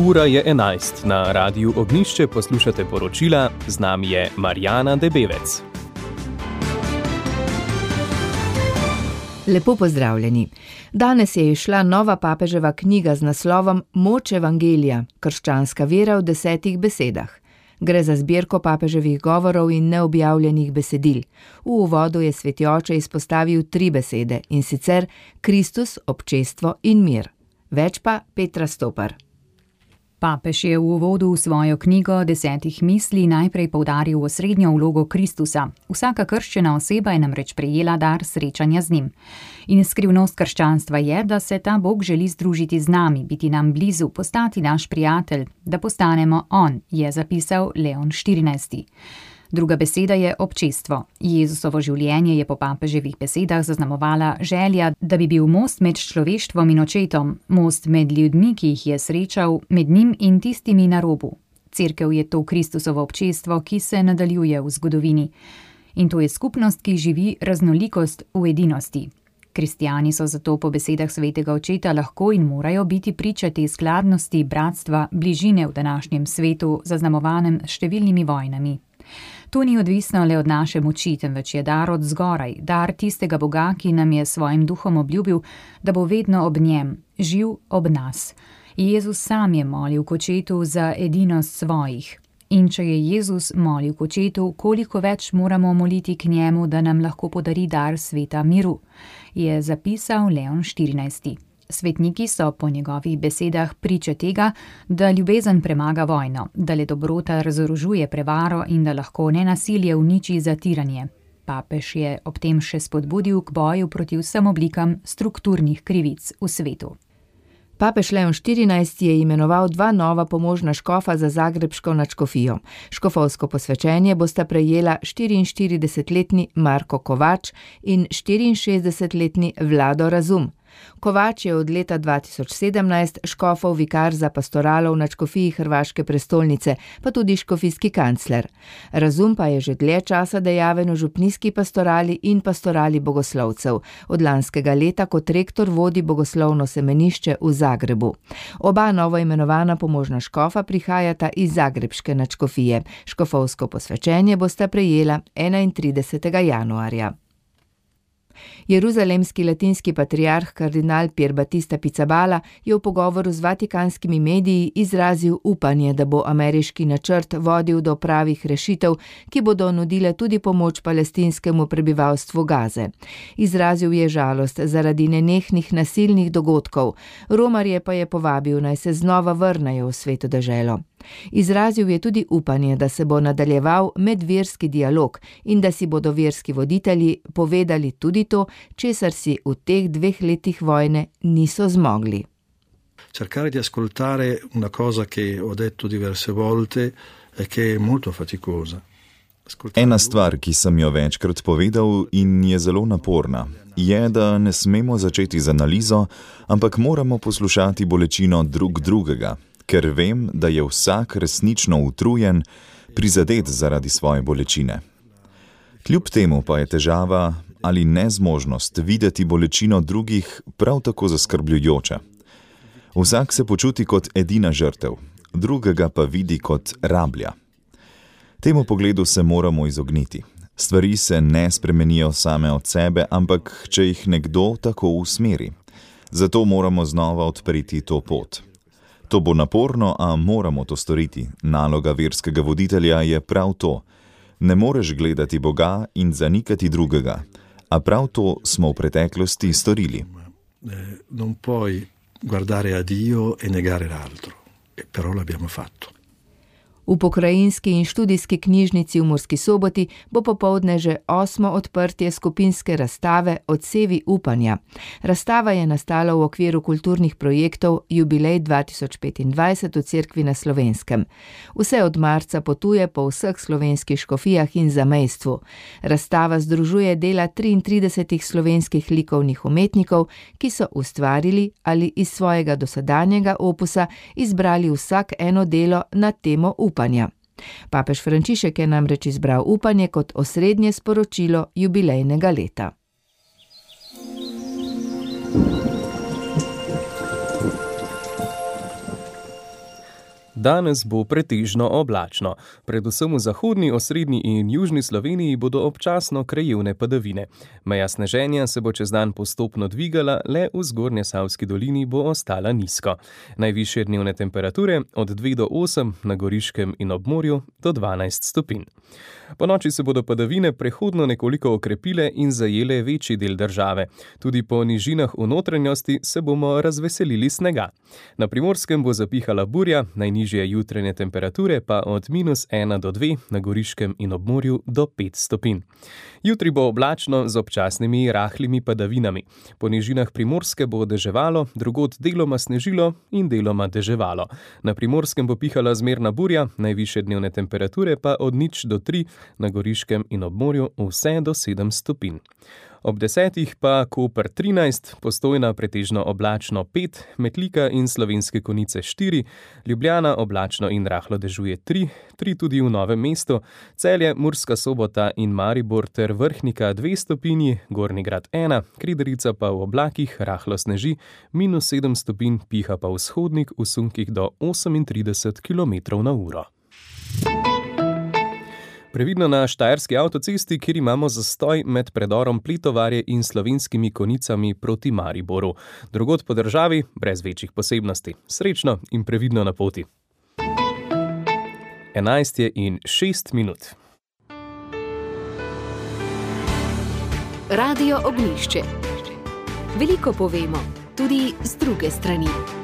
Ura je 11. Na Radiu Ognjišče poslušate poročila, z nami je Marjana Debevec. Lepo pozdravljeni. Danes je izšla nova papeževa knjiga z naslovom Moč evangelija, krščanska vera v 10 besedah. Gre za zbirko papeževih govorov in neobjavljenih besedil. V uvodu je sveti oče izpostavil 3 besede, in sicer Kristus, občestvo in mir. Več pa Petra Stopar. Papež je v uvodu v svojo knjigo 10 misli najprej poudaril osrednjo vlogo Kristusa. Vsaka krščena oseba je namreč prejela dar srečanja z njim. In skrivnost krščanstva je, da se ta Bog želi združiti z nami, biti nam blizu, postati naš prijatelj, da postanemo on, je zapisal Leon XIV. Druga beseda je občestvo. Jezusovo življenje je po papeževih besedah zaznamovala želja, da bi bil most med človeštvom in očetom, most med ljudmi, ki jih je srečal, med njim in tistimi na robu. Cerkev je to Kristusovo občestvo, ki se nadaljuje v zgodovini. In to je skupnost, ki živi raznolikost v edinosti. Kristjani so zato po besedah svetega očeta lahko in morajo biti priče te skladnosti, bratstva, bližine v današnjem svetu, zaznamovanem s številnimi vojnami. To ni odvisno le od naše moči, temveč je dar od zgoraj, dar tistega Boga, ki nam je svojim duhom obljubil, da bo vedno ob njem, živ ob nas. Jezus sam je molil k očetu za edinost svojih. In če je Jezus molil k očetu, koliko več moramo moliti k njemu, da nam lahko podari dar sveta miru, je zapisal Leon XIV. Svetniki so po njegovih besedah priče tega, da ljubezen premaga vojno, da le dobrota razorožuje prevaro in da lahko nenasilje uniči zatiranje. Papež je ob tem še spodbudil k boju proti vsem oblikam strukturnih krivic v svetu. Papež Leon XIV je imenoval 2 nova pomožna škofa za zagrebško nadškofijo. Škofovsko posvečenje bosta prejela 44-letni Marko Kovač in 64-letni Vlado Razum. Kovač je od leta 2017 škofov vikar za pastoralo v nadškofiji hrvaške prestolnice, pa tudi škofijski kancler. Razum pa je že dlje časa dejaven v župnijski pastorali in pastorali bogoslovcev. Od lanskega leta kot rektor vodi bogoslovno semenišče v Zagrebu. Oba novoimenovana pomožna škofa prihajata iz zagrebške nadškofije. Škofovsko posvečenje bosta prejela 31. januarja. Jeruzalemski latinski patriarh kardinal Pier Battista Pizzaballa je v pogovoru z vatikanskimi mediji izrazil upanje, da bo ameriški načrt vodil do pravih rešitev, ki bodo nudile tudi pomoč palestinskemu prebivalstvu Gaze. Izrazil je žalost zaradi nenehnih nasilnih dogodkov, romarje pa je povabil, naj se znova vrnejo v sveto deželo. Izrazil je tudi upanje, da se bo nadaljeval medverski dialog in da si bodo verski voditelji povedali tudi to, česar si v teh 2 letih vojne niso zmogli. Cercare di ascoltare una cosa che ho detto diverse volte e che è molto faticosa. Ena stvar, ki sem jo večkrat povedal in je zelo naporna, je, da ne smemo začeti z analizo, ampak moramo poslušati bolečino drugega, ker vem, da je vsak resnično utrujen, prizadet zaradi svoje bolečine. Kljub temu pa je težava ali nezmožnost videti bolečino drugih prav tako zaskrbljujoča. Vsak se počuti kot edina žrtev, drugega pa vidi kot rablja. Temu pogledu se moramo izogniti. Stvari se ne spremenijo same od sebe, ampak če jih nekdo tako usmeri. Zato moramo znova odpreti to pot. To bo naporno, a moramo to storiti. Naloga verskega voditelja je prav to. Ne moreš gledati Boga in zanikati drugega, a prav to smo v preteklosti storili. Non puoi guardare a Dio e negare l'altro, però l'abbiamo fatto. V pokrajinski in študijski knjižnici v Murski Soboti bo popoldne že 8. odprtje skupinske razstave Odsevi upanja. Razstava je nastala v okviru kulturnih projektov Jubilej 2025 v Cerkvi na Slovenskem. Vse od marca potuje po vseh slovenskih škofijah in zamejstvu. Razstava združuje dela 33 slovenskih likovnih umetnikov, ki so ustvarili ali iz svojega dosedanjega opusa izbrali vsak eno delo na temo upanja. Papež Frančišek je namreč izbral upanje kot osrednje sporočilo jubilejnega leta. Danes bo pretežno oblačno. Predvsem v zahodni, osrednji in južni Sloveniji bodo občasno krajevne padavine. Meja sneženja se bo čez dan postopno dvigala, le v Zgornjesavski dolini bo ostala nizko. Najvišje dnevne temperature od 2 do 8, na Goriškem in ob morju do 12 stopinj. Ponoči se bodo padavine prehodno nekoliko okrepile in zajele večji del države. Tudi po nižinah v notranjosti se bomo razveselili snega. Na Primorskem bo zapihala burja, najnižje jutranje temperature pa od -1 do 2, na Goriškem in ob morju do 5 stopinj. Jutri bo oblačno z občasnimi rahlimi padavinami. Po nižinah Primorske bo deževalo, drugod deloma snežilo in deloma deževalo. Na Primorskem bo pihala zmerna burja, najvišje dnevne temperature pa od 0 do 3, na Goriškem in ob morju vse do 7 stopinj. Ob 10 pa Koper 13, Postojna pretežno oblačno 5, Metlika in Slovenske Konjice 4, Ljubljana oblačno in rahlo dežuje 3 tudi v Novem mestu, Celje, Murska Sobota in Maribor ter Vrhnika 2 stopinji, Gornji Grad 1, Kidrica pa v oblakih rahlo sneži, -7 stopinj, piha pa vzhodnik v sunkih do 38 km/h. Previdno na Štajerski avtocesti, kjer imamo zastoj med predorom Pletovarje in Slovenskimi Konjicami proti Mariboru. Drugod po državi brez večjih posebnosti. Srečno in previdno na poti. 11:06. Radio Ognjišče. Veliko povemo, tudi z druge strani.